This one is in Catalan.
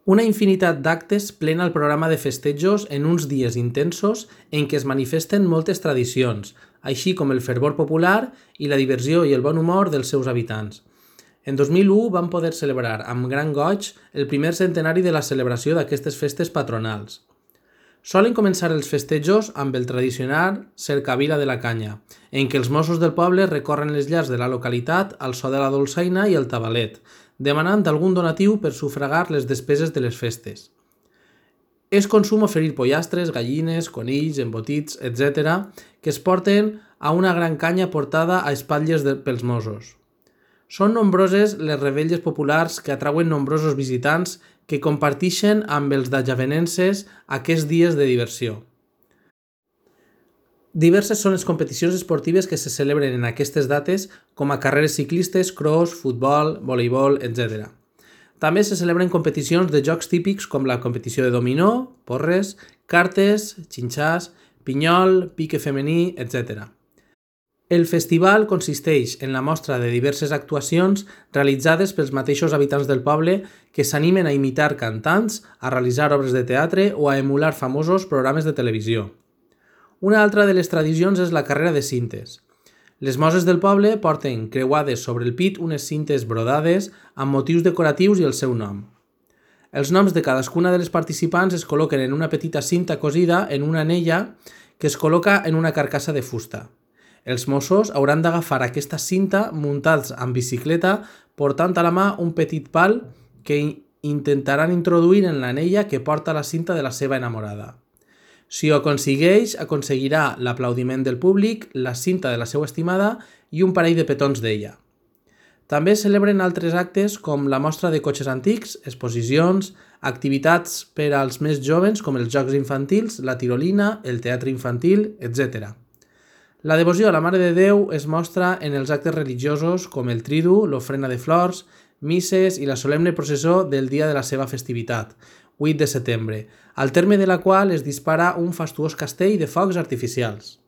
Una infinitat d'actes plena el programa de festejos en uns dies intensos en què es manifesten moltes tradicions, així com el fervor popular i la diversió i el bon humor dels seus habitants. En 2001 van poder celebrar amb gran goig el primer centenari de la celebració d'aquestes festes patronals. Solen començar els festejos amb el tradicional cercavila de la canya, en què els Mossos del poble recorren les llars de la localitat al so de la dolçaina i el tabalet, demanant algun donatiu per sufragar les despeses de les festes. És consum oferir pollastres, gallines, conills, embotits, etc., que es porten a una gran canya portada a espatlles pels Mossos. Són nombroses les revetlles populars que atrauen nombrosos visitants que comparteixen amb els dajavenenses aquests dies de diversió. Diverses són les competicions esportives que se celebren en aquestes dates, com a carreres ciclistes, cross, futbol, voleibol, etc. També se celebren competicions de jocs típics com la competició de dominó, porres, cartes, xinxàs, pinyol, pique femení, etc. El festival consisteix en la mostra de diverses actuacions realitzades pels mateixos habitants del poble que s'animen a imitar cantants, a realitzar obres de teatre o a emular famosos programes de televisió. Una altra de les tradicions és la carrera de cintes. Les moses del poble porten creuades sobre el pit unes cintes brodades amb motius decoratius i el seu nom. Els noms de cadascuna de les participants es col·loquen en una petita cinta cosida en una anella que es col·loca en una carcassa de fusta. Els Mossos hauran d'agafar aquesta cinta muntats amb bicicleta portant a la mà un petit pal que intentaran introduir en l'anella que porta la cinta de la seva enamorada. Si ho aconsegueix, aconseguirà l'aplaudiment del públic, la cinta de la seva estimada i un parell de petons d'ella. També celebren altres actes com la mostra de cotxes antics, exposicions, activitats per als més joves com els jocs infantils, la tirolina, el teatre infantil, etc. La devoció a la Mare de Déu es mostra en els actes religiosos com el tridu, l'ofrena de flors, misses i la solemne processó del dia de la seva festivitat, 8 de setembre, al terme de la qual es dispara un fastuós castell de focs artificials.